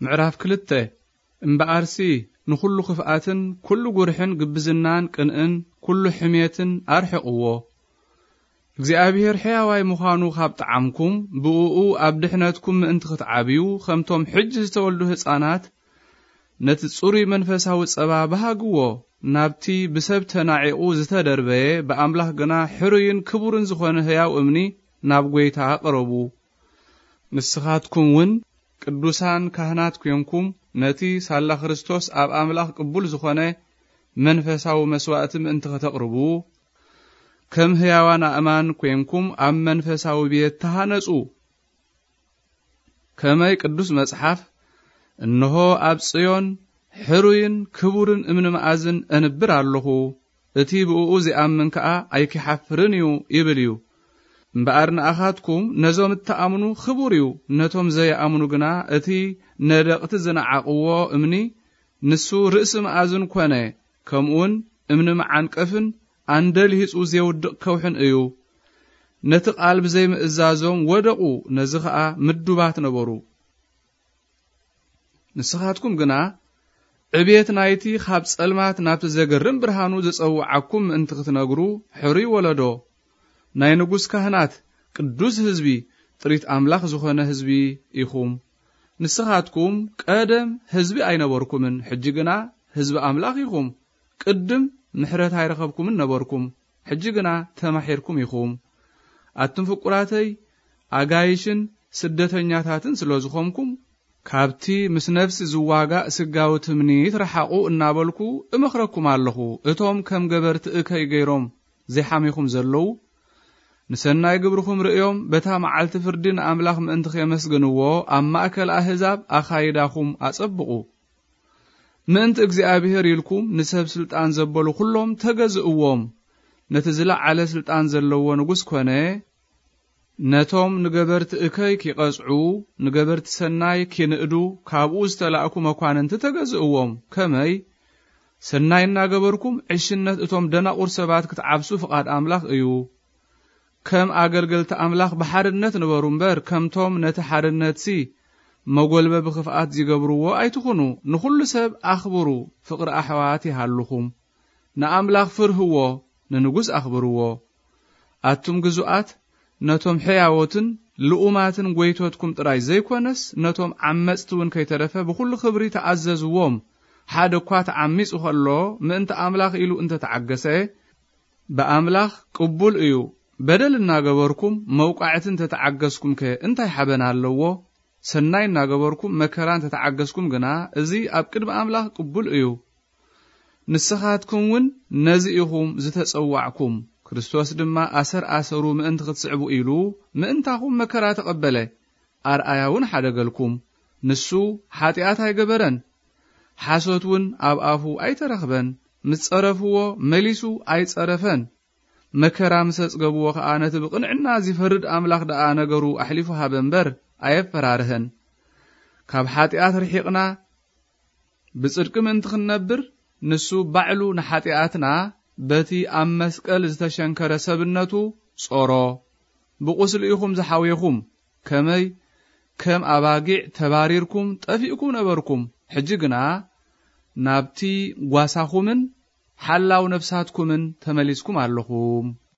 ምዕራፍ ክልተ። እምበኣርሲ ንኹሉ ክፍኣትን ኩሉ ጉርሕን ግብዝናን ቅንእን ኩሉ ሕሜትን ኣርሕቕዎ። እግዚኣብሔር ሕያዋይ ምዃኑ ካብ ጠዓምኩም፣ ብእኡ ኣብ ድሕነትኩም ምእንቲ ክትዓብዩ፣ ከምቶም ሕጂ ዝተወልዱ ህፃናት፣ ነቲ ጽሩይ መንፈሳዊ ጸባ በሃግዎ። ናብቲ ብሰብ ተናዒቑ ዝተደርበየ፣ ብኣምላኽ ግና ሕሩይን ክቡርን ዝኾነ ህያው እምኒ ናብ ጐይታ ቅረቡ። ንስኻትኩም እውን ቅዱሳን ካህናት ኴንኩም፣ ነቲ ሳላ ክርስቶስ ኣብ ኣምላኽ ቅቡል ዝኾነ መንፈሳዊ መስዋእቲ ምእንቲ ከተቕርቡ፣ ከም ህያዋን ኣእማን ኴንኩም ኣብ መንፈሳዊ ቤት ተሃነጹ። ከመይ ቅዱስ መጽሓፍ፣ "እንሆ ኣብ ጽዮን ሕሩይን ክቡርን እምኒ መኣዝን እንብር ኣለኹ፣ እቲ ብእኡ ዚኣምን ከኣ ኣይኪሓፍርን እዩ" ይብል እዩ። እምበኣር ንኣኻትኩም ነዞም እተኣምኑ ክቡር እዩ፣ ነቶም ዘይኣምኑ ግና እቲ ነደቕቲ ዝነዓቕዎ እምኒ ንሱ ርእሲ መኣዝን ኰነ፣ ከምኡውን እምኒ መዓንቀፍን ኣንደልሂጹ ዜውድቕ ከውሕን እዩ። ነቲ ቃል ብዘይምእዛዞም ወደቑ፣ ነዚ ኸኣ ምዱባት ነበሩ። ንስኻትኩም ግና ዕቤት ናይቲ ኻብ ጸልማት ናብቲ ዘገርም ብርሃኑ ዝጸውዓኩም ምእንቲ ክትነግሩ፣ ሕሩይ ወለዶ፣ ናይ ንጉስ ካህናት፣ ቅዱስ ህዝቢ፣ ጥሪት ኣምላኽ ዝኾነ ህዝቢ ኢኹም። ንስኻትኩም ቀደም ህዝቢ ኣይነበርኩምን፣ ሕጂ ግና ህዝቢ ኣምላኽ ኢኹም። ቅድም ምሕረት ኣይረኸብኩምን ነበርኩም፣ ሕጂ ግና ተማሒርኩም ኢኹም። ኣቱም ፍቁራተይ፣ ኣጋይሽን ስደተኛታትን ስለ ዝኾንኩም፣ ካብቲ ምስ ነፍሲ ዝዋጋእ ስጋዊ ትምኒት ረሓቑ እናበልኩ እመኽረኩም ኣለኹ። እቶም ከም ገበርቲ እከይ ገይሮም ዘይሓሚኹም ዘለዉ፣ ንሰናይ ግብርኹም ርእዮም፣ በታ መዓልቲ ፍርዲ ንኣምላኽ ምእንቲ ኼመስግንዎ፣ ኣብ ማእከል ኣህዛብ ኣኻይዳኹም ኣጸብቑ። ምእንቲ እግዚኣብሔር ኢልኩም ንሰብ ስልጣን ዘበሉ ኩሎም ተገዝእዎም። ነቲ ዝለዓለ ስልጣን ዘለዎ ንጉስ ኮነ፣ ነቶም ንገበርቲ እከይ ኪቐጽዑ፣ ንገበርቲ ሰናይ ኪንእዱ፣ ካብኡ ዝተላእኩ መኳንንቲ ተገዝእዎም። ከመይ? ሰናይ እናገበርኩም ዕሽነት እቶም ደናቑር ሰባት ክትዓብሱ ፍቓድ ኣምላኽ እዩ። ከም ኣገልገልቲ ኣምላኽ ብሓርነት ንበሩ እምበር፣ ከምቶም ነቲ ሓርነትሲ መጎልበቢ ክፍኣት ዚገብርዎ ኣይትኹኑ። ንኹሉ ሰብ ኣኽብሩ፣ ፍቕሪ ኣሕዋት ይሃልኹም። ንኣምላኽ ፍርህዎ፣ ንንጉስ ኣኽብርዎ። ኣቱም ግዙኣት፣ ነቶም ሕያዎትን ልኡማትን ጐይቶትኩም ጥራይ ዘይኮነስ፣ ነቶም ዓመጽቲ እውን ከይተረፈ ብኹሉ ክብሪ ተኣዘዝዎም። ሓደ እኳ ተዓሚጹ ኸሎ፣ ምእንቲ ኣምላኽ ኢሉ እንተ ተዓገሰ፣ ብኣምላኽ ቅቡል እዩ። በደል እናገበርኩም መውቃዕቲ እንተ ተዓገስኩም ከ እንታይ ሓበን ኣለዎ? ሰናይ እናገበርኩም መከራ እንተ ተዓገስኩም ግና፣ እዚ ኣብ ቅድሚ ኣምላኽ ቅቡል እዩ። ንስኻትኩም እውን ነዚ ኢኹም ዝተጸዋዕኩም። ክርስቶስ ድማ ኣሰር ኣሰሩ ምእንቲ ክትስዕቡ ኢሉ ምእንታኹም መከራ ተቐበለ። ኣርኣያ እውን ሓደገልኩም። ንሱ ሓጢኣት ኣይገበረን፣ ሓሶት እውን ኣብ ኣፉ ኣይተረኽበን። ምስ ጸረፍዎ መሊሱ ኣይጸረፈን። መከራ ምስ ኣጽገብዎ ኸኣ ነቲ ብቕንዕና ዚፈርድ ኣምላኽ ደኣ ነገሩ ኣሕሊፉ ሃበ እምበር ኣየፈራርሀን። ካብ ሓጢኣት ርሒቕና ብጽድቂ ምእንቲ ክንነብር፣ ንሱ ባዕሉ ንሓጢኣትና በቲ ኣብ መስቀል ዝተሸንከረ ሰብነቱ ጾሮ። ብቁስሊ ኢኹም ዝሓውየኹም። ከመይ ከም ኣባጊዕ ተባሪርኩም ጠፊእኩም ነበርኩም። ሕጂ ግና ናብቲ ጓሳኹምን ሓላው ነፍሳትኩምን ተመሊስኩም ኣለኹም።